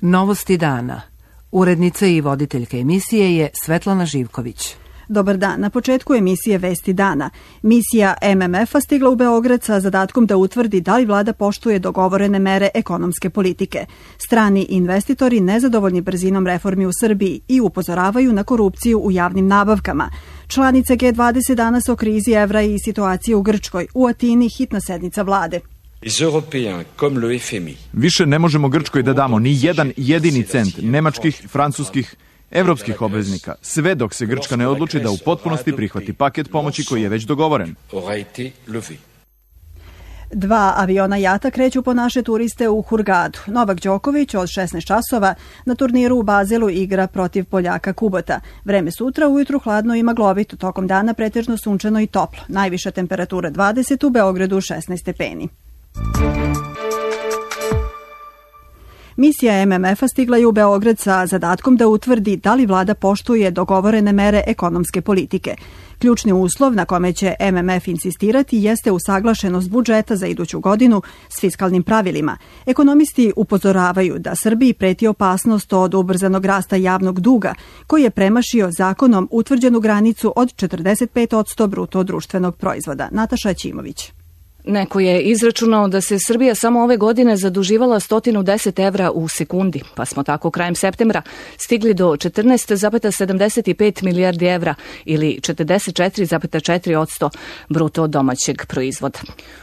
Novosti dana. Urednica i voditeljka emisije je Svetlana Živković. Dobar dan. Na početku emisije Vesti dana. Misija MMF-a stigla u Beograd sa zadatkom da utvrdi da li vlada poštuje dogovorene mere ekonomske politike. Strani investitori nezadovoljni brzinom reformi u Srbiji i upozoravaju na korupciju u javnim nabavkama. Članice G20 danas o krizi evra i situaciji u Grčkoj. U Atini hitna sednica vlade. Više ne možemo Grčkoj da damo ni jedan jedini cent nemačkih, francuskih, evropskih obveznika, sve dok se Grčka ne odluči da u potpunosti prihvati paket pomoći koji je već dogovoren. 2 aviona jata kreću po naše turiste u Hurgadu. Novak Đoković od 16 časova na turniru u Bazelu igra protiv Poljaka Kubota. Vreme sutra ujutru hladno i maglovito, tokom dana pretežno sunčano i toplo. Najviša temperatura 20, u Beogradu 16 stepeni. Misija MMF-a stigla je u Beograd sa zadatkom da utvrdi da li vlada poštuje dogovorene mere ekonomske politike. Ključni uslov na kome će MMF insistirati jeste usaglašenost budžeta za iduću godinu s fiskalnim pravilima. Ekonomisti upozoravaju da Srbiji preti opasnost od ubrzanog rasta javnog duga, koji je premašio zakonom utvrđenu granicu od 45% bruto društvenog proizvoda. Nataša Ćimović. Neko je izračunao da se Srbija samo ove godine zaduživala 110 evra u sekundi, pa smo tako krajem septembra stigli do 14,75 milijardi evra ili 44,4% bruto domaćeg proizvoda.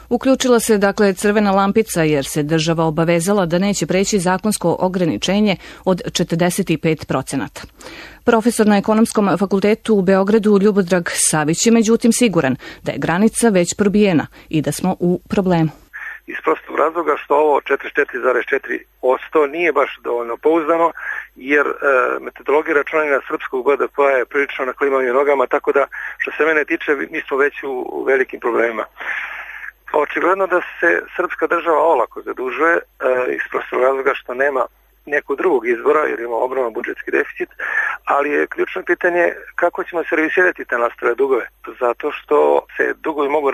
Uključila se dakle crvena lampica jer se država obavezala da neće preći zakonsko ograničenje od 45%. Profesor na Ekonomskom fakultetu u Beogradu Ljubodrag Savić je međutim siguran da je granica već probijena i da smo u problemu. Iz prostog razloga što ovo 44,4% nije baš dovoljno pouzdano, jer metodologija računanja srpskog BDP-a je prilično na klimavim nogama, tako da što se mene tiče mi smo već u velikim problemima. Očigledno da se srpska država olako zadužuje iz prostog razloga što nema nekog drugog izbora, jer ima ogroman budžetski deficit, ali je ključno pitanje kako ćemo servisirati te nastale dugove, zato što se dugovi mogu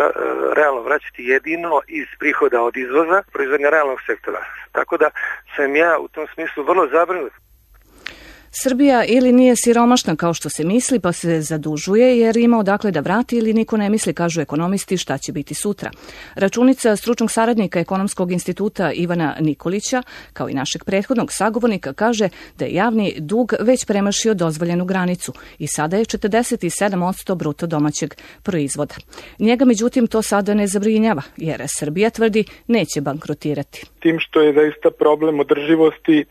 realno vraćati jedino iz prihoda od izvoza, proizvodnja realnog sektora. Tako da sam ja u tom smislu vrlo zabrinut. Srbija ili nije siromašna kao što se misli, pa se zadužuje jer ima odakle da vrati ili niko ne misli, kažu ekonomisti, šta će biti sutra. Računica stručnog saradnika Ekonomskog instituta Ivana Nikolića, kao i našeg prethodnog sagovornika, kaže da je javni dug već premašio dozvoljenu granicu i sada je 47% bruto domaćeg proizvoda. Njega međutim to sada ne zabrinjava, jer Srbija tvrdi neće bankrotirati. Tim što je zaista problem održivosti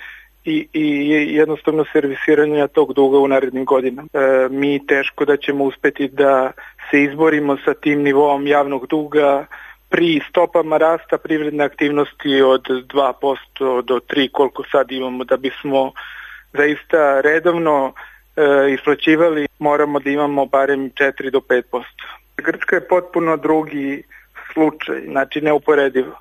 i jednostavno servisiranja tog duga u narednim godinama. Mi teško da ćemo uspeti da se izborimo sa tim nivoom javnog duga pri stopama rasta privredne aktivnosti od 2% do 3% koliko sad imamo. Da bismo zaista redovno isplaćivali, moramo da imamo barem 4 do 5%. Grčka je potpuno drugi slučaj, znači neuporedivo.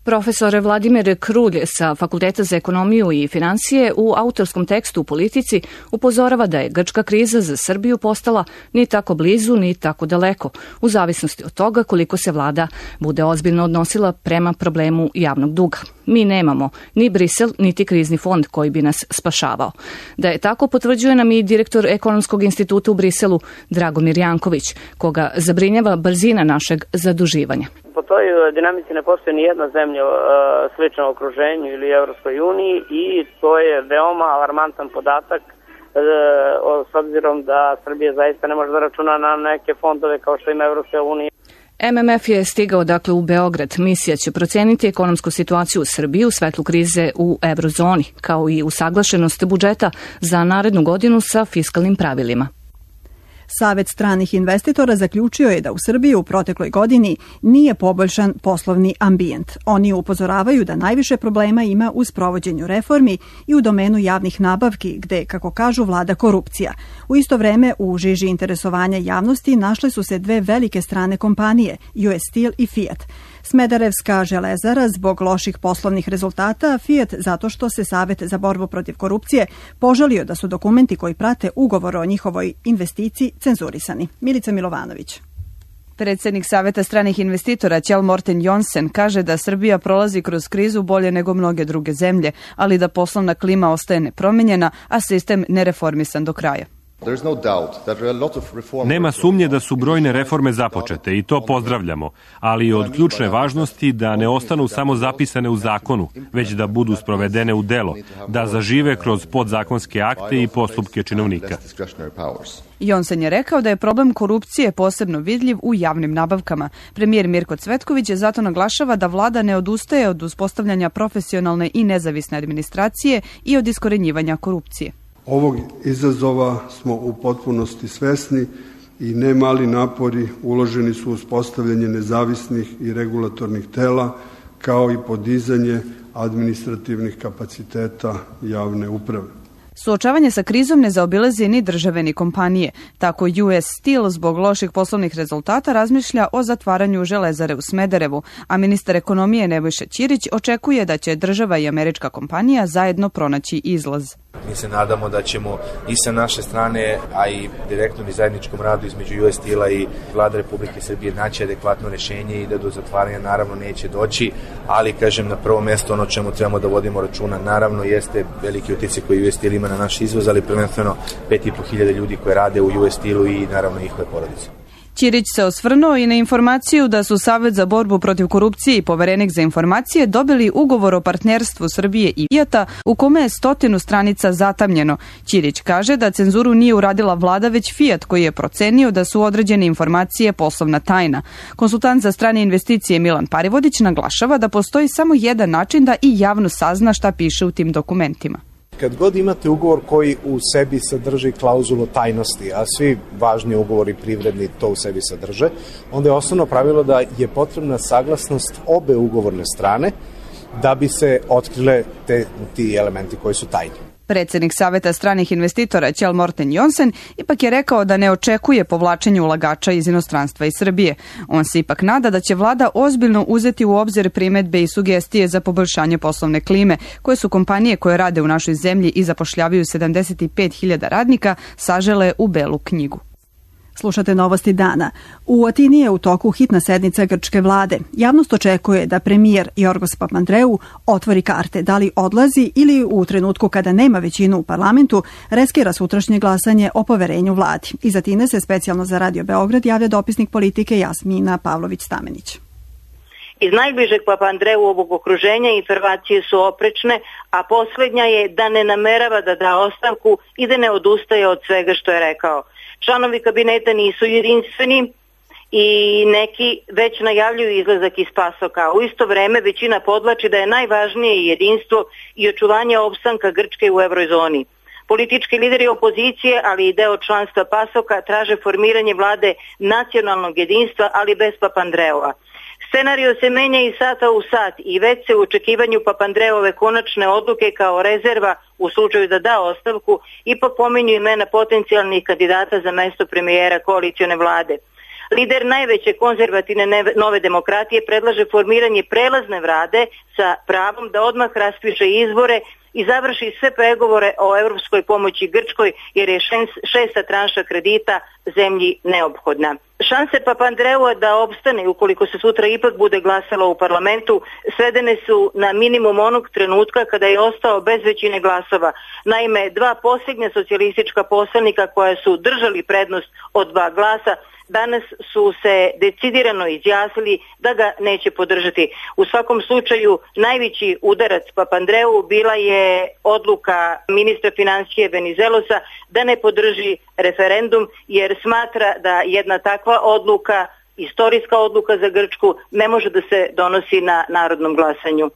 Profesor Vladimir Krulj sa Fakulteta za ekonomiju i finansije u autorskom tekstu u Politici upozorava da je grčka kriza za Srbiju postala ni tako blizu ni tako daleko, u zavisnosti od toga koliko se vlada bude ozbiljno odnosila prema problemu javnog duga. Mi nemamo ni Brisel, niti krizni fond koji bi nas spašavao. Da je tako potvrđuje nam i direktor Ekonomskog instituta u Briselu Dragomir Janković, koga zabrinjava brzina našeg zaduživanja. Po toj dinamici ne postoji ni jedna zemlja slična okruženju ili Evropskoj uniji i to je veoma alarmantan podatak s obzirom da Srbija zaista ne može da računa na neke fondove kao što ima Evropska unija. MMF je stigao dakle u Beograd. Misija će proceniti ekonomsku situaciju u Srbiji u svetlu krize u eurozoni, kao i usaglašenost budžeta za narednu godinu sa fiskalnim pravilima. Savet stranih investitora zaključio je da u Srbiji u protekloj godini nije poboljšan poslovni ambijent. Oni upozoravaju da najviše problema ima u sprovođenju reformi i u domenu javnih nabavki, gde, kako kažu, vlada korupcija. U isto vreme, u žiži interesovanja javnosti našle su se dve velike strane kompanije, US Steel i Fiat. Smederevska železara zbog loših poslovnih rezultata, Fiat zato što se Savet za borbu protiv korupcije požalio da su dokumenti koji prate ugovor o njihovoj investiciji cenzurisani. Milica Milovanović. Predsjednik Saveta stranih investitora Kjell Morten Johnsen kaže da Srbija prolazi kroz krizu bolje nego mnoge druge zemlje, ali da poslovna klima ostaje nepromenjena, a sistem nereformisan do kraja. Nema sumnje da su brojne reforme započete i to pozdravljamo, ali je od ključne važnosti da ne ostanu samo zapisane u zakonu, već da budu sprovedene u delo, da zažive kroz podzakonske akte i postupke činovnika. Johnsen je rekao da je problem korupcije posebno vidljiv u javnim nabavkama. Premijer Mirko Cvetković je zato naglašava da vlada ne odustaje od uspostavljanja profesionalne i nezavisne administracije i od iskorenjivanja korupcije. Ovog izazova smo u potpunosti svesni i nemali napori uloženi su u uspostavljanje nezavisnih i regulatornih tela, kao i podizanje administrativnih kapaciteta javne uprave. Suočavanje sa krizom ne zaobilazi ni države ni kompanije. Tako US Steel zbog loših poslovnih rezultata razmišlja o zatvaranju železare u Smederevu, a ministar ekonomije Nebojša Ćirić očekuje da će država i američka kompanija zajedno pronaći izlaz. Mi se nadamo da ćemo i sa naše strane, a i direktnom i zajedničkom radu između US Steel-a i Vlade Republike Srbije naći adekvatno rješenje i da do zatvaranja naravno neće doći, ali kažem na prvo mjesto ono čemu trebamo da vodimo računa naravno jeste veliki utjecaj koji US Steel ima na naš izvoz, ali prvenstveno 5.500 ljudi koji rade u US Steel-u i naravno njihove porodice. Ćirić se osvrnuo i na informaciju da su Savet za borbu protiv korupcije i Poverenik za informacije dobili ugovor o partnerstvu Srbije i Fijata u kome je 100 stranica zatamnjeno. Ćirić kaže da cenzuru nije uradila vlada već Fijat koji je procenio da su određene informacije poslovna tajna. Konsultant za strane investicije Milan Parivodić naglašava da postoji samo jedan način da i javno sazna šta piše u tim dokumentima. Kad god imate ugovor koji u sebi sadrži klauzulu tajnosti, a svi važni ugovori privredni to u sebi sadrže, onda je osnovno pravilo da je potrebna saglasnost obe ugovorne strane da bi se otkrile ti elementi koji su tajni. Predsjednik Saveta stranih investitora Kjell Morten Johnsen ipak je rekao da ne očekuje povlačenje ulagača iz inostranstva i Srbije. On se ipak nada da će vlada ozbiljno uzeti u obzir primedbe i sugestije za poboljšanje poslovne klime, koje su kompanije koje rade u našoj zemlji i zapošljavaju 75.000 radnika sažele u belu knjigu. Slušate novosti dana. U Atini je u toku hitna sednica grčke vlade. Javnost očekuje da premijer Jorgos Papandreou otvori karte da li odlazi ili u trenutku kada nema većinu u parlamentu reskira sutrašnje glasanje o poverenju vladi. Iz Atine se specijalno za Radio Beograd javlja dopisnik politike Jasmina Pavlović-Stamenić. Iz najbližeg Papandreouovog okruženja informacije su oprečne, a posljednja je da ne namerava da da ostavku i da ne odustaje od svega što je rekao. Članovi kabineta nisu jedinstveni i neki već najavljuju izlazak iz pasoka. U isto vreme većina podvlači da je najvažnije jedinstvo i očuvanje opstanka Grčke u eurozoni. Politički lideri opozicije, ali i deo članstva pasoka traže formiranje vlade nacionalnog jedinstva, ali bez Papandreova. Scenario se menja iz sata u sat i već se u očekivanju Papandreove konačne odluke kao rezerva u slučaju da da ostavku ipak pominju imena potencijalnih kandidata za mesto premijera koalicione vlade. Lider najveće konzervativne nove demokratije predlaže formiranje prelazne vlade sa pravom da odmah raspiše izbore i završi sve pregovore o europskoj pomoći Grčkoj jer je šesta tranša kredita zemlji neophodna. Šanse Papandreua da opstane ukoliko se sutra ipak bude glasalo u parlamentu svedene su na minimum onog trenutka kada je ostao bez većine glasova. Naime, dva posljednja socijalistička poslanika koja su držali prednost od 2 glasa danas su se decidirano izjasnili da ga neće podržati. U svakom slučaju najveći udarac Papandreou bila je odluka ministra financije Venizelosa da ne podrži referendum jer smatra da jedna takva odluka, istorijska odluka za Grčku, ne može da se donosi na narodnom glasanju.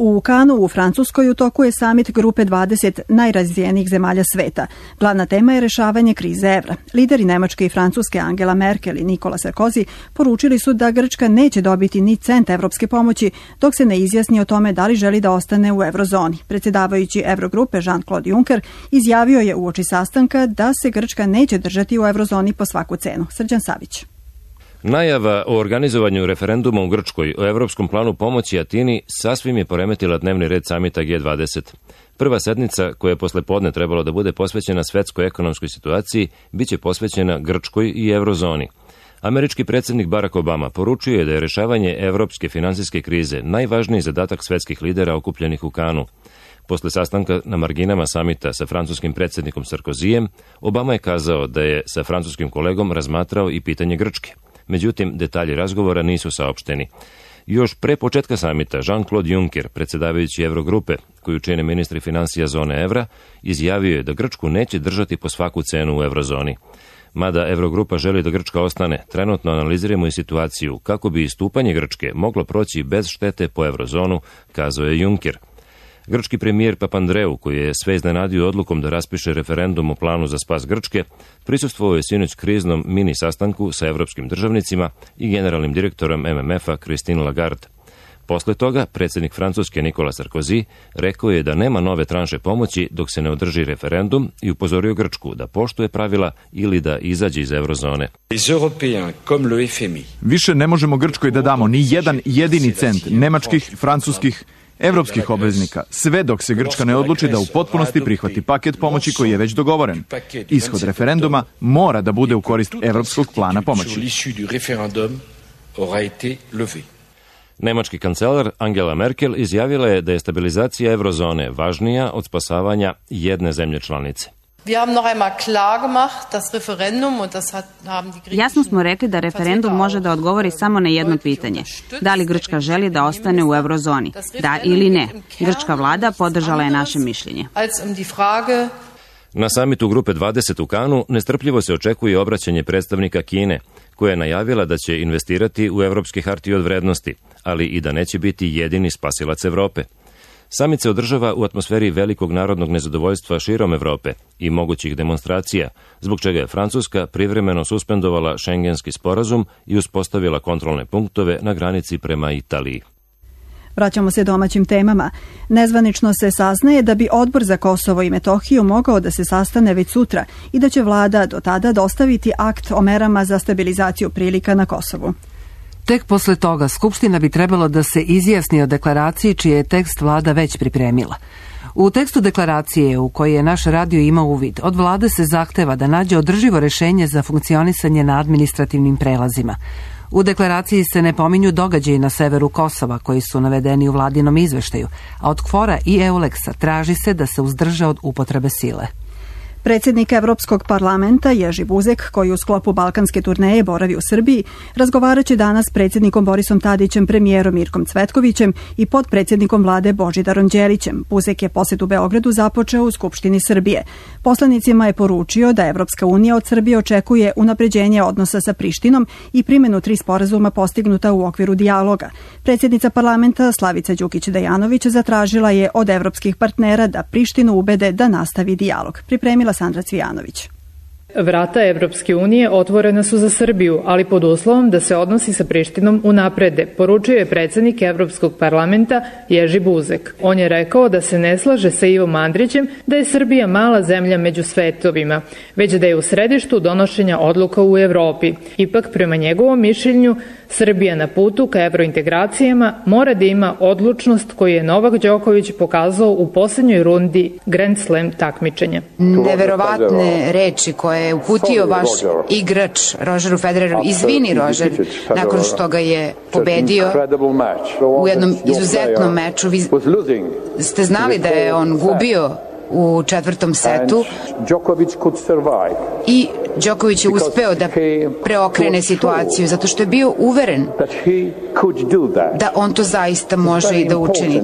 U Kanu u Francuskoj u toku je samit grupe 20 najrazvijenijih zemalja sveta. Glavna tema je rešavanje krize evra. Lideri Nemačke i Francuske Angela Merkel i Nikola Sarkozy poručili su da Grčka neće dobiti ni cent evropske pomoći dok se ne izjasni o tome da li želi da ostane u eurozoni. Predsjedavajući Eurogrupe Jean-Claude Juncker izjavio je uoči sastanka da se Grčka neće držati u eurozoni po svaku cenu. Srđan Savić. Najava o organizovanju referenduma u Grčkoj o evropskom planu pomoći Atini sasvim je poremetila dnevni red samita G20. Prva sednica, koja je posle podne trebalo da bude posvećena svetskoj ekonomskoj situaciji, biće posvećena Grčkoj i eurozoni. Američki predsjednik Barack Obama poručio je da je rešavanje evropske finansijske krize najvažniji zadatak svetskih lidera okupljenih u Kanu. Posle sastanka na marginama samita sa francuskim predsjednikom Sarkozijem, Obama je kazao da je sa francuskim kolegom razmatrao i pitanje Grčke. Međutim, detalji razgovora nisu saopšteni. Još pre početka samita, Jean-Claude Juncker, predsjedavajući Eurogrupe, koju čine ministri finansija zone evra, izjavio je da Grčku neće držati po svaku cenu u eurozoni. Mada Eurogrupa želi da Grčka ostane, trenutno analiziramo i situaciju kako bi istupanje Grčke moglo proći bez štete po eurozonu, kazao je Juncker. Grčki premijer Papandreou, koji je sve iznenadio odlukom da raspiše referendum o planu za spas Grčke, prisustvovao je sinoć kriznom mini sastanku sa evropskim državnicima i generalnim direktorom MMF-a Christine Lagarde. Posle toga, predsjednik Francuske Nicolas Sarkozy rekao je da nema nove tranše pomoći dok se ne održi referendum i upozorio Grčku da poštuje pravila ili da izađe iz eurozone. Više ne možemo Grčkoj da damo ni jedan jedini cent nemačkih, francuskih, evropskih obveznika, sve dok se Grčka ne odluči da u potpunosti prihvati paket pomoći koji je već dogovoren. Ishod referenduma mora da bude u korist evropskog plana pomoći. Nemački kancelar Angela Merkel izjavila je da je stabilizacija eurozone važnija od spasavanja jedne zemlje članice. Jasno smo rekli da referendum može da odgovori samo na jedno pitanje. Da li Grčka želi da ostane u eurozoni? Da ili ne? Grčka vlada podržala je naše mišljenje. Na samitu Grupe 20 u Kanu nestrpljivo se očekuje obraćanje predstavnika Kine, koja je najavila da će investirati u evropske hartije od vrednosti, ali i da neće biti jedini spasilac Evrope. Samit se održava u atmosferi velikog narodnog nezadovoljstva širom Evrope i mogućih demonstracija, zbog čega je Francuska privremeno suspendovala šengenski sporazum i uspostavila kontrolne punktove na granici prema Italiji. Vraćamo se domaćim temama. Nezvanično se saznaje da bi Odbor za Kosovo i Metohiju mogao da se sastane već sutra i da će vlada do tada dostaviti akt o merama za stabilizaciju prilika na Kosovu. Tek posle toga Skupština bi trebalo da se izjasni o deklaraciji čiji je tekst vlada već pripremila. U tekstu deklaracije u kojoj je naš radio imao uvid, od vlade se zahteva da nađe održivo rešenje za funkcionisanje na administrativnim prelazima. U deklaraciji se ne pominju događaji na severu Kosova koji su navedeni u vladinom izveštaju, a od KFOR-a i EULEX-a traži se da se uzdrže od upotrebe sile. Predsjednik Evropskog parlamenta Ježi Buzek, koji u sklopu balkanske turneje boravi u Srbiji, razgovarat će danas s predsjednikom Borisom Tadićem, premijerom Mirkom Cvetkovićem i potpredsjednikom vlade Božidarom Đelićem. Buzek je posjet u Beogradu započeo u Skupštini Srbije. Poslanicima je poručio da Evropska unija od Srbije očekuje unapređenje odnosa sa Prištinom i primjenu 3 sporazuma postignuta u okviru dijaloga. Predsjednica parlamenta Slavica Đukić-Dejanović zatražila je od evropskih partnera da Prištinu ubede da nastavi dijalog. Pripremila Sandra Cvijanović. Vrata Evropske unije otvorena su za Srbiju, ali pod uslovom da se odnosi sa Prištinom unaprede, poručio je predsjednik Evropskog parlamenta Ježi Buzek. On je rekao da se ne slaže sa Ivom Andrićem da je Srbija mala zemlja među svetovima, već da je u središtu donošenja odluka u Evropi. Ipak, prema njegovom mišljenju, Srbija na putu ka evrointegracijama mora da ima odlučnost koju je Novak Đoković pokazao u posljednjoj rundi Grand Slam takmičenja. Neverovatne reči koje je uputio vaš igrač Rogeru Federeru. Izvini, Roger, nakon što ga je pobedio u jednom izuzetnom meču. Vi ste znali da je on gubio u 4. setu i Đoković je uspeo da preokrene situaciju zato što je bio uveren da on to zaista može i da učini.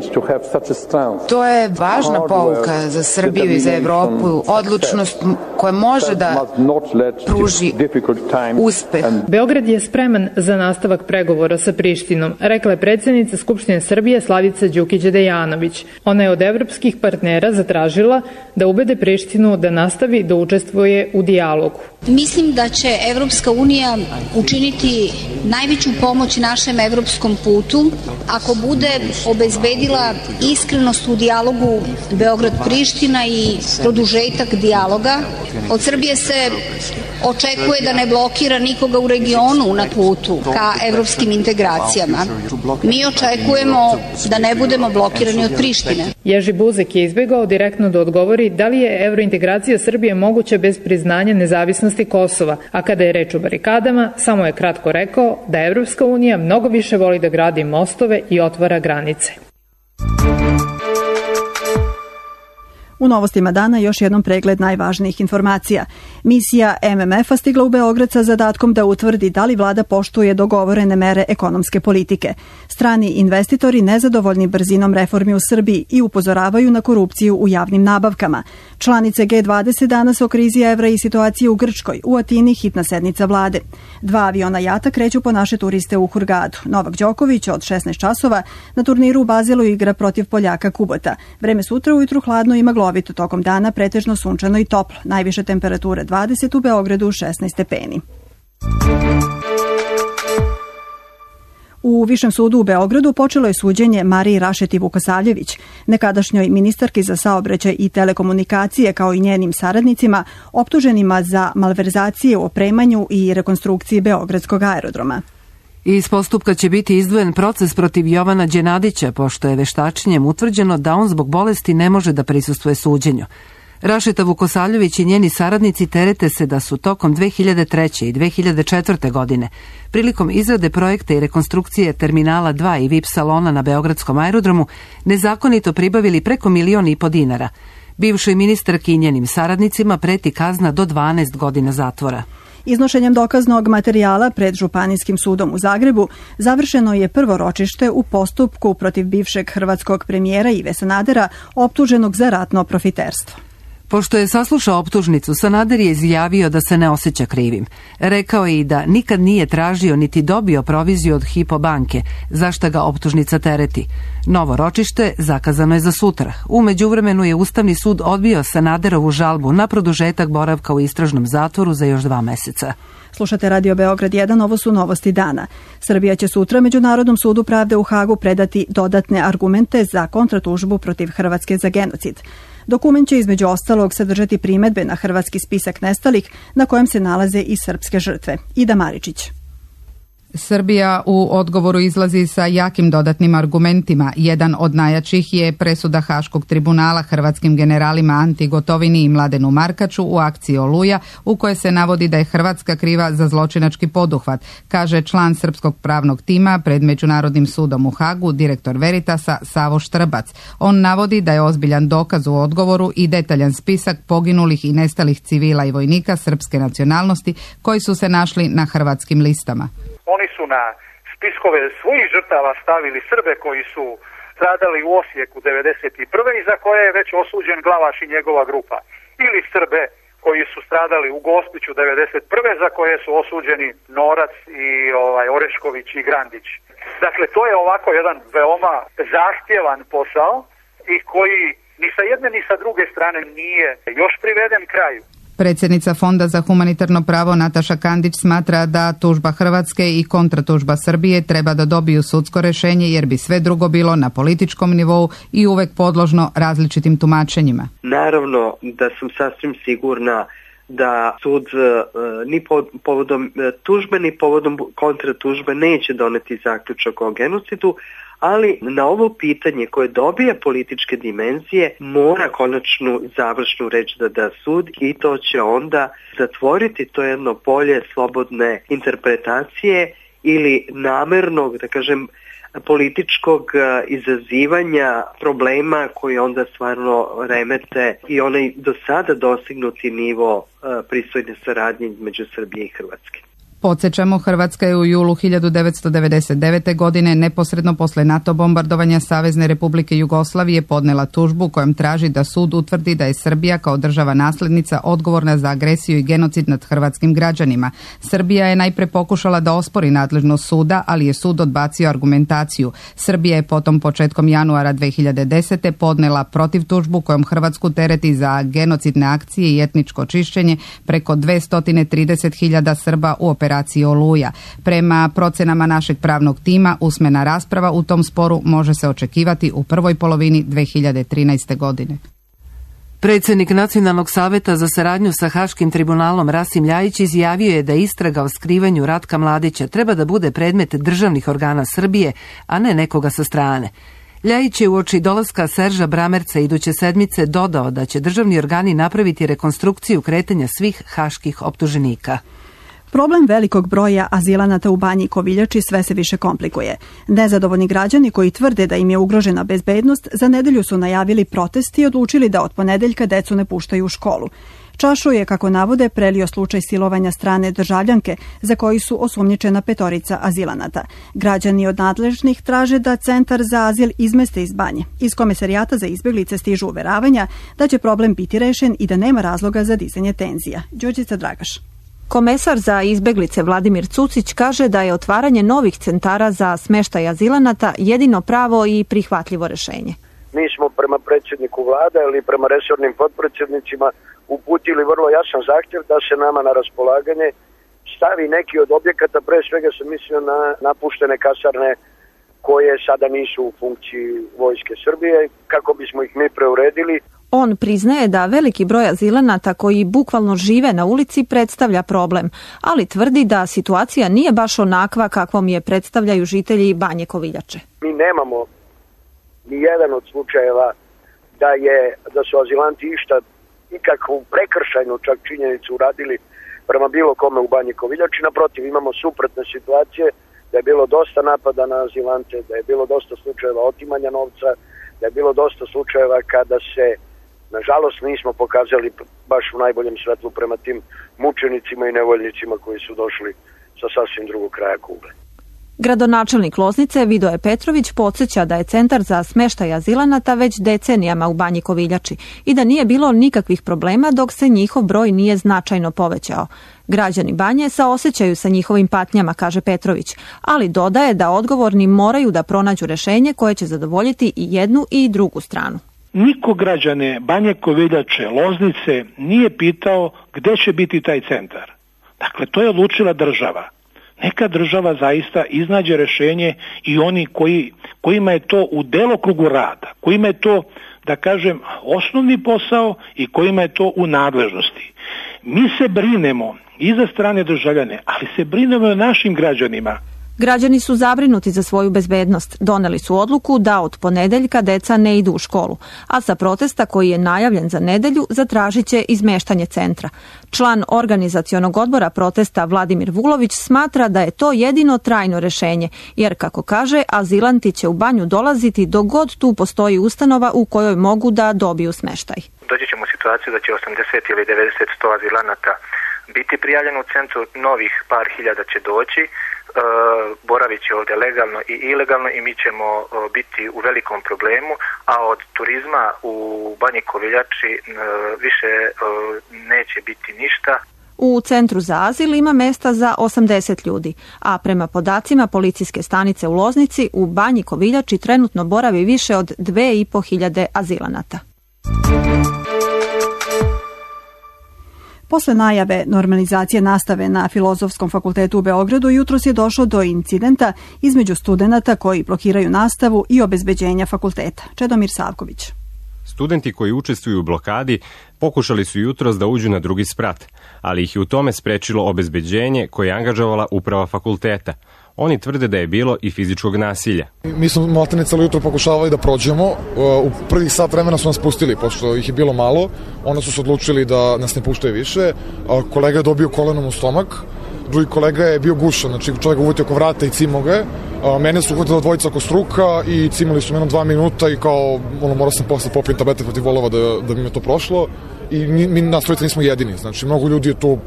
To je važna pouka za Srbiju i za Evropu, odlučnost koja može da pruži uspeh. Beograd je spreman za nastavak pregovora sa Prištinom, rekla je predsjednica Skupštine Srbije Slavica Đukić-Dejanović. Ona je od evropskih partnera zatražila da ubede Prištinu da nastavi da učestvuje u dijalogu. Mislim da će Evropska unija učiniti najveću pomoć našem evropskom putu ako bude obezbedila iskrenost u dijalogu Beograd-Priština i produžetak dijaloga. Od Srbije se očekuje da ne blokira nikoga u regionu na putu ka evropskim integracijama. Mi očekujemo da ne budemo blokirani od Prištine. Jerzy Buzek je izbjegao direktno da odgovori da li je evrointegracija Srbije moguća bez priznanja nezavisnosti Kosova, a kada je reč o barikadama, samo je kratko rekao da Evropska unija mnogo više voli da gradi mostove i otvara granice. U novostima dana još jednom pregled najvažnijih informacija. Misija MMF-a stigla u Beograd sa zadatkom da utvrdi da li vlada poštuje dogovorene mere ekonomske politike. Strani investitori nezadovoljni brzinom reformi u Srbiji i upozoravaju na korupciju u javnim nabavkama. Članice G20 danas o krizi evra i situaciji u Grčkoj. U Atini hitna sednica vlade. 2 aviona jata kreću po naše turiste u Hurgadu. Novak Đoković od 16 časova na turniru u Bazelu igra protiv Poljaka Kubota. Vreme sutra ujutru hladno i maglovito, tokom dana pretežno sunčano i toplo. Najviše temperature 20, u Beogradu 16 stepeni. U Višem sudu u Beogradu počelo je suđenje Mariji Rašeti Vukosavljević, nekadašnjoj ministarki za saobraćaj i telekomunikacije, kao i njenim saradnicima, optuženima za malverzacije u opremanju i rekonstrukciji Beogradskog aerodroma. Iz postupka će biti izdvojen proces protiv Jovana Đenadića, pošto je veštačenjem utvrđeno da on zbog bolesti ne može da prisustvuje suđenju. Rašeta Vukosavljević i njeni saradnici terete se da su tokom 2003. i 2004. godine prilikom izrade projekta i rekonstrukcije Terminala 2 i VIP salona na Beogradskom aerodromu nezakonito pribavili preko 1,5 miliona dinara. Bivšoj ministarki i njenim saradnicima preti kazna do 12 godina zatvora. Iznošenjem dokaznog materijala pred Županijskim sudom u Zagrebu završeno je prvo ročište u postupku protiv bivšeg hrvatskog premijera Ive Sanadera, optuženog za ratno profiterstvo. Pošto je saslušao optužnicu, Sanader je izjavio da se ne osjeća krivim. Rekao je i da nikad nije tražio niti dobio proviziju od Hypo banke, za šta ga optužnica tereti. Novo ročište zakazano je za sutra. U međuvremenu je Ustavni sud odbio Sanaderovu žalbu na produžetak boravka u istražnom zatvoru za još 2 meseca. Slušate Radio Beograd 1, ovo su novosti dana. Srbija će sutra Međunarodnom sudu pravde u Hagu predati dodatne argumente za kontratužbu protiv Hrvatske za genocid. Dokument će između ostalog sadržati primedbe na hrvatski spisak nestalih na kojem se nalaze i srpske žrtve. Ida Maričić. Srbija u odgovoru izlazi sa jakim dodatnim argumentima. Jedan od najjačih je presuda Haškog tribunala hrvatskim generalima Anti Gotovini i Mladenu Markaču u akciji Oluja, u kojoj se navodi da je Hrvatska kriva za zločinački poduhvat, kaže član srpskog pravnog tima pred Međunarodnim sudom u Hagu, direktor Veritasa Savo Štrbac. On navodi da je ozbiljan dokaz u odgovoru i detaljan spisak poginulih i nestalih civila i vojnika srpske nacionalnosti koji su se našli na hrvatskim listama. Oni su na spiskove svojih žrtava stavili Srbe koji su stradali u Osijeku 1991. i za koje je već osuđen Glavaš i njegova grupa. Ili Srbe koji su stradali u Gospiću 1991. za koje su osuđeni Norac i Orešković i Grandić. Dakle, to je ovako jedan veoma zahtjevan posao i koji ni sa jedne ni sa druge strane nije još priveden kraju. Predsjednica Fonda za humanitarno pravo Nataša Kandić smatra da tužba Hrvatske i kontratužba Srbije treba da dobiju sudsko rješenje jer bi sve drugo bilo na političkom nivou i uvek podložno različitim tumačenjima. Naravno da sam sasvim sigurna da sud ni povodom tužbe ni povodom kontratužbe neće doneti zaključak o genocidu, ali na ovo pitanje koje dobija političke dimenzije mora konačnu završnu reč da da sud i to će onda zatvoriti to jedno polje slobodne interpretacije ili namernog, da kažem, političkog izazivanja problema koji onda stvarno remete i onaj do sada dostignuti nivo pristojne saradnje između Srbije i Hrvatske. Podsjećamo, Hrvatska je u julu 1999. godine neposredno posle NATO bombardovanja Savezne Republike Jugoslavije podnela tužbu kojom traži da sud utvrdi da je Srbija kao država nasljednica odgovorna za agresiju i genocid nad hrvatskim građanima. Srbija je najpre pokušala da ospori nadležnost suda, ali je sud odbacio argumentaciju. Srbija je potom početkom januara 2010. podnela protiv tužbu kojom Hrvatsku tereti za genocidne akcije i etničko čišćenje preko 230.000 Srba u operaciji Oluja. Prema procenama našeg pravnog tima, usmena rasprava u tom sporu može se očekivati u prvoj polovini 2013. godine. Predsjednik Nacionalnog saveta za saradnju sa Haškim tribunalom Rasim Ljajić izjavio je da istraga o skrivanju Ratka Mladića treba da bude predmet državnih organa Srbije, a ne nekoga sa strane. Ljajić je uoči dolaska Serža Bramerca iduće sedmice dodao da će državni organi napraviti rekonstrukciju kretanja svih haških optuženika. Problem velikog broja azilanata u Banji Koviljači sve se više komplikuje. Nezadovoljni građani koji tvrde da im je ugrožena bezbednost za nedelju su najavili protest i odlučili da od ponedeljka decu ne puštaju u školu. Čašu je, kako navode, prelio slučaj silovanja strane državljanke za koji su osumnjičena 5 azilanata. Građani od nadležnih traže da Centar za azil izmeste iz Banje. Iz Komesarijata za izbjeglice stižu uveravanja da će problem biti rešen i da nema razloga za dizanje tenzija. Đurđica Dragaš. Komesar za izbeglice Vladimir Cucić kaže da je otvaranje novih centara za smeštaj azilanata jedino pravo i prihvatljivo rešenje. Mi smo prema predsjedniku vlade ili prema resornim potpredsjednicima uputili vrlo jasan zahtjev da se nama na raspolaganje stavi neki od objekata, pre svega sam mislio na napuštene kasarne koje sada nisu u funkciji vojske Srbije, kako bismo ih mi preuredili. On priznaje da veliki broj azilanata koji bukvalno žive na ulici predstavlja problem, ali tvrdi da situacija nije baš onakva kakvom je predstavljaju žitelji Banje Koviljače. Mi nemamo ni jedan od slučajeva da su azilanti ikakvu prekršajnu čak činjenicu uradili prema bilo kome u Banji Koviljači. Naprotiv, imamo suprotne situacije, da je bilo dosta napada na azilante, da je bilo dosta slučajeva otimanja novca, da je bilo dosta slučajeva kada se, nažalost, nismo pokazali baš u najboljem svetlu prema tim mučenicima i nevoljnicima koji su došli sa sasvim drugog kraja kugle. Gradonačelnik Loznice Vidoje Petrović podsjeća da je Centar za smeštaj azilanata već decenijama u Banji Koviljači i da nije bilo nikakvih problema dok se njihov broj nije značajno povećao. Građani Banje saosećaju sa njihovim patnjama, kaže Petrović, ali dodaje da odgovorni moraju da pronađu rešenje koje će zadovoljiti i jednu i drugu stranu. Niko građane Banje Koviljače, Loznice nije pitao gde će biti taj centar. Dakle, to je odlučila država. Neka država zaista iznađe rešenje i oni kojima je to u delokrugu rada, kojima je to, da kažem, osnovni posao i kojima je to u nadležnosti. Mi se brinemo i za strane državljane, ali se brinemo i o našim građanima. Građani su zabrinuti za svoju bezbednost. Doneli su odluku da od ponedeljka deca ne idu u školu, a sa protesta koji je najavljen za nedelju zatražit će izmeštanje centra. Član organizacionog odbora protesta Vladimir Vulović smatra da je to jedino trajno rešenje, jer, kako kaže, azilanti će u Banju dolaziti dok god tu postoji ustanova u kojoj mogu da dobiju smeštaj. Doći ćemo u situaciju da će 80 ili 90 100 azilanata biti prijavljeno u centru, novih par hiljada će doći, boravit će ovdje legalno i ilegalno i mi ćemo biti u velikom problemu, a od turizma u Banji Koviljači više neće biti ništa. U Centru za azil ima mesta za 80 ljudi, a prema podacima policijske stanice u Loznici u Banji Koviljači trenutno boravi više od 2500 azilanata. Posle najave normalizacije nastave na Filozofskom fakultetu u Beogradu, jutros je došlo do incidenta između studenata koji blokiraju nastavu i obezbeđenja fakulteta. Čedomir Savković. Studenti koji učestvuju u blokadi pokušali su jutros da uđu na drugi sprat, ali ih je u tome sprečilo obezbeđenje koje je angažovala uprava fakulteta. Oni tvrde da je bilo i fizičkog nasilja. Mi smo maltene celo jutro pokušavali da prođemo. U prvih sat vremena su nas pustili, pošto ih je bilo malo. Onda su se odlučili da nas ne puštaju više. Kolega je dobio kolenom u stomak. Drugi kolega je bio gušan, znači čovjek uvutio oko vrata i cimao ga je. Mene su uhvatili dvojica oko struka i cimali su me 2 minuta i kao, morao sam posle popijem tablete protiv volova da bi me to prošlo. I mi na stolici nismo jedini, znači mnogo ljudi je tu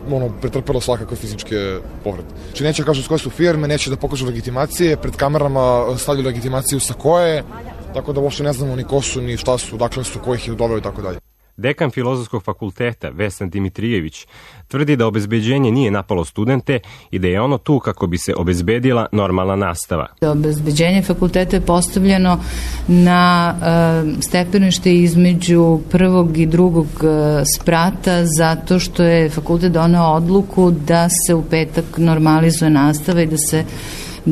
pretrpelo svakakve fizičke povrede. Znači neće kažu s koje su firme, neće da pokažu legitimacije, pred kamerama stavljaju legitimaciju sa koje, tako da uopšte ne znamo ni ko su, ni šta su, dakle su, ko ih je doveo i tako dalje. Dekan Filozofskog fakulteta Vesna Dimitrijević tvrdi da obezbeđenje nije napalo studente i da je ono tu kako bi se obezbedila normalna nastava. Obezbeđenje fakulteta je postavljeno na stepenište između prvog i drugog sprata zato što je fakultet doneo odluku da se u petak normalizuje nastava i da se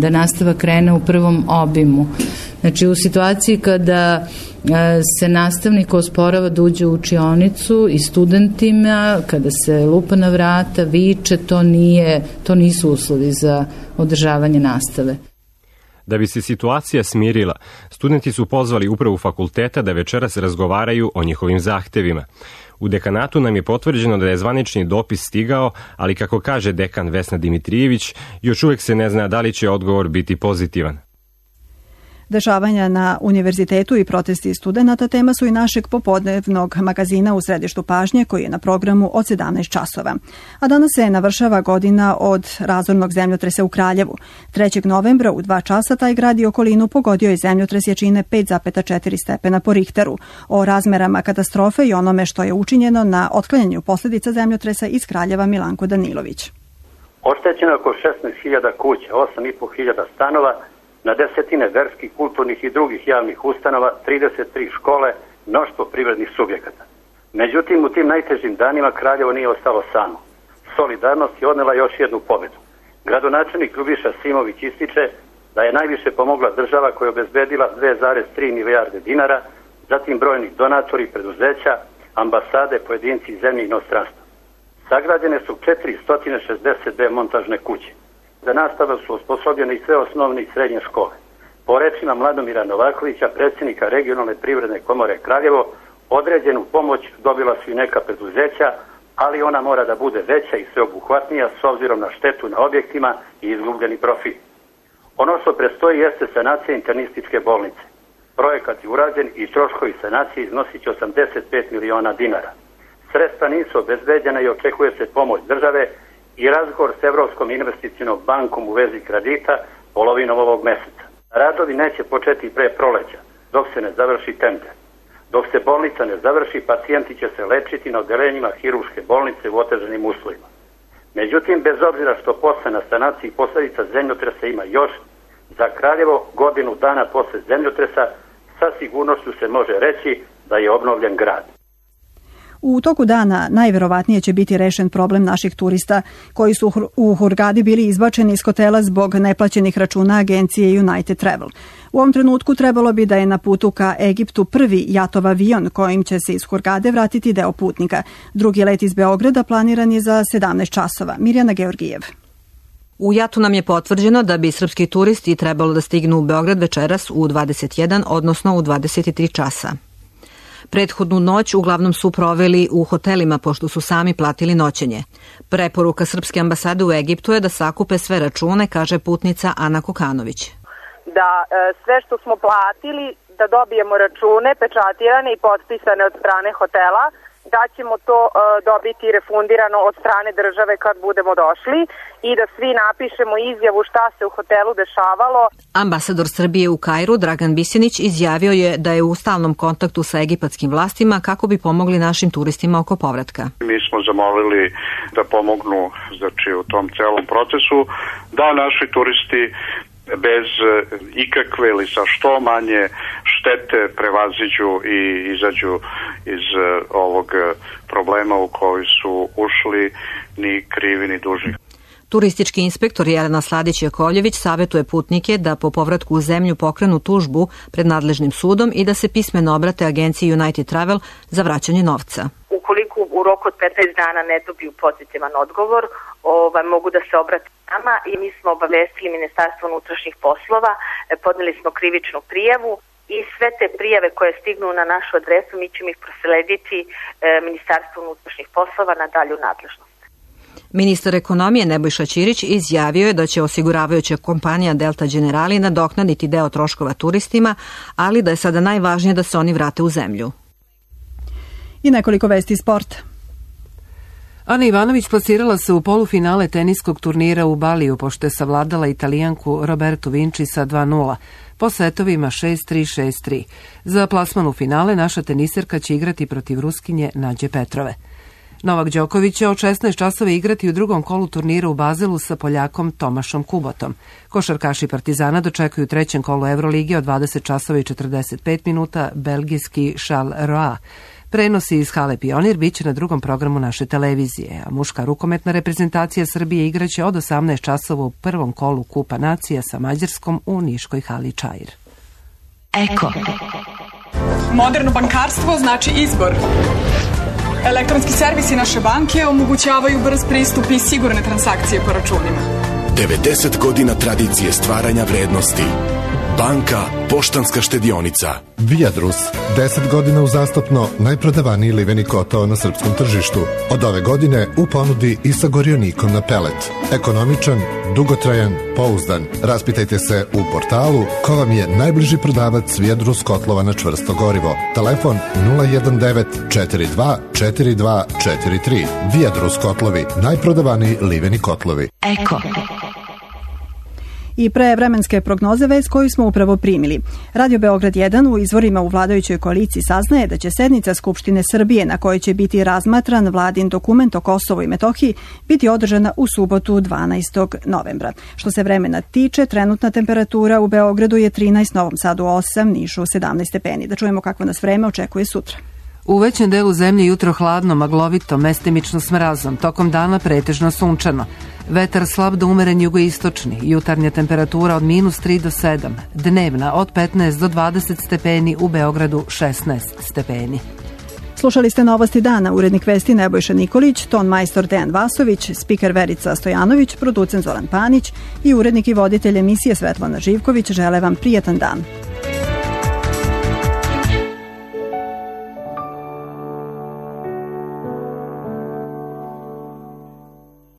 da nastava krene u prvom obimu. Znači u situaciji kada se nastavnik osporava da uđe u učionicu i studentima, kada se lupa na vrata, viče, to nisu uslovi za održavanje nastave. Da bi se situacija smirila, studenti su pozvali upravu fakulteta da večeras razgovaraju o njihovim zahtevima. U dekanatu nam je potvrđeno da je zvanični dopis stigao, ali kako kaže dekan Vesna Dimitrijević, još uvek se ne zna da li će odgovor biti pozitivan. Dešavanja na univerzitetu i protesti studenata tema su i našeg popodnevnog magazina U središtu pažnje koji je na programu od 17 časova. A danas se navršava godina od razornog zemljotresa u Kraljevu. 3. novembra u 2 časa taj grad i okolinu pogodio je zemljotres jačine 5,4 stepena po Richteru. O razmerama katastrofe i onome što je učinjeno na otklanjanju posljedica zemljotresa iz Kraljeva Milanko Danilović. Oštećeno oko 16.000 kuća, 8.500 stanova, na desetine verskih, kulturnih i drugih javnih ustanova, 33 škole, mnoštvo privrednih subjekata. Međutim, u tim najtežim danima Kraljevo nije ostalo samo. Solidarnost je odnela još jednu pobedu. Gradonačelnik Ljubiša Simović ističe da je najviše pomogla država koja je obezbedila 2,3 milijarde dinara, zatim brojni donatori, preduzeća, ambasade, pojedinci iz zemlje i inostranstva. Sagrađene su 462 montažne kuće. Za nastavu su osposobljene i sve osnovne i srednje škole. Po rečima Mladomira Novakovića, predsjednika regionalne privredne komore Kraljevo, određenu pomoć dobila su i neka preduzeća, ali ona mora da bude veća i sveobuhvatnija s obzirom na štetu na objektima i izgubljeni profit. Ono što predstoji jeste sanacija internističke bolnice. Projekat je urađen i troškovi sanacije iznosit će 85 miliona dinara. Sredstva nisu obezbeđena i očekuje se pomoć države i razgovor s Evropskom investicionom bankom u vezi kredita polovinom ovog meseca. Radovi neće početi pre proleća, dok se ne završi tender. Dok se bolnica ne završi, pacijenti će se lečiti na odelenjima hirurške bolnice u otežanim uslovima. Međutim, bez obzira što posle na sanaciji posljedica zemljotresa ima još, za Kraljevo godinu dana posle zemljotresa sa sigurnošću se može reći da je obnovljen grad. U toku dana najverovatnije će biti rešen problem naših turista koji su u Hurgadi bili izbačeni iz hotela zbog neplaćenih računa agencije United Travel. U ovom trenutku trebalo bi da je na putu ka Egiptu prvi JAT-ov avion kojim će se iz Hurgade vratiti deo putnika. Drugi let iz Beograda planiran je za 17 časova. Mirjana Georgijev. U JAT-u nam je potvrđeno da bi srpski turisti trebalo da stignu u Beograd večeras u 21, odnosno u 23 časa. Prethodnu noć uglavnom su proveli u hotelima pošto su sami platili noćenje. Preporuka Srpske ambasade u Egiptu je da sakupe sve račune, kaže putnica Ana Kokanović. Da sve što smo platili, da dobijemo račune pečatirane i potpisane od strane hotela, da ćemo to dobiti refundirano od strane države kad budemo došli i da svi napišemo izjavu šta se u hotelu dešavalo. Ambasador Srbije u Kairu, Dragan Bisjenić, izjavio je da je u stalnom kontaktu sa egipatskim vlastima kako bi pomogli našim turistima oko povratka. Mi smo zamolili da pomognu u tom celom procesu, da naši turisti bez ikakve ili sa što manje štete prevaziđu i izađu iz ovog problema u koji su ušli ni krivi ni dužni. Turistički inspektor Jelena Sladić-Jakovljević savjetuje putnike da po povratku u zemlju pokrenu tužbu pred nadležnim sudom i da se pismeno obrate agenciji United Travel za vraćanje novca. Ukoliko u roku od 15 dana ne dobiju pozitivan odgovor, mogu da se obrate nama i mi smo obavestili Ministarstvo unutrašnjih poslova, podneli smo krivičnu prijavu i sve te prijave koje stignu na našu adresu mi ćemo ih proslediti Ministarstvu unutrašnjih poslova na dalju nadležnost. Ministar ekonomije Nebojša Ćirić izjavio je da će osiguravajuća kompanija Delta Generali nadoknaditi deo troškova turistima, ali da je sada najvažnije da se oni vrate u zemlju. I nekoliko vesti sporta. Ana Ivanović plasirala se u polufinale teniskog turnira u Baliju pošto je savladala Italijanku Robertu Vinci sa 2:0 po setovima 6-3, 6-3. Za plasman u finale naša teniserka će igrati protiv Ruskinje Nađe Petrove. Novak Đoković će od 16 časova igrati u drugom kolu turnira u Bazelu sa Poljakom Tomašom Kubotom. Košarkaši Partizana dočekuju u trećem kolu Evrolige od 20 časova i 45 minuta belgijski Charles Roa. Prenosi iz hale Pionir biće na drugom programu naše televizije, a muška rukometna reprezentacija Srbije igraće od 18 časova u prvom kolu Kupa nacija sa Mađarskom u niškoj hali Čair. Eko. Moderno bankarstvo znači izbor. Elektronski servisi naše banke omogućavaju brz pristup i sigurne transakcije po računima. 90 godina tradicije stvaranja vrednosti. Banka Poštanska štedionica. Viadrus, 10 godina uzastopno najprodavaniji liveni kotao na srpskom tržištu. Od ove godine u ponudi i sa gorionikom na pelet. Ekonomičan, dugotrajan, pouzdan. Raspitajte se u portalu ko vam je najbliži prodavac Viadrus kotlova na čvrsto gorivo. Telefon 019 42 42 43. Viadrus kotlovi, najprodavaniji liveni kotlovi. Eko. I pre vremenske prognoze vest koju smo upravo primili. Radio Beograd 1 u izvorima u vladajućoj koaliciji saznaje da će sednica Skupštine Srbije na kojoj će biti razmatran vladin dokument o Kosovu i Metohiji biti održana u subotu 12. novembra. Što se vremena tiče, trenutna temperatura u Beogradu je 13, Novom Sadu 8, Nišu 17 stepeni. Da čujemo kakvo nas vreme očekuje sutra. U većem delu zemlje jutro hladno, maglovito, mestimično s mrazom, tokom dana pretežno sunčano. Vetar slab do umeren jugoistočni, jutarnja temperatura od -3 do 7, dnevna od 15 do 20 stepeni, u Beogradu 16 stepeni. Slušali ste Novosti dana, urednik vesti Nebojša Nikolić, ton majstor Dejan Vasović, spiker Verica Stojanović, producent Zoran Panić i urednik i voditelj emisije Svetlana Živković žele vam prijatan dan.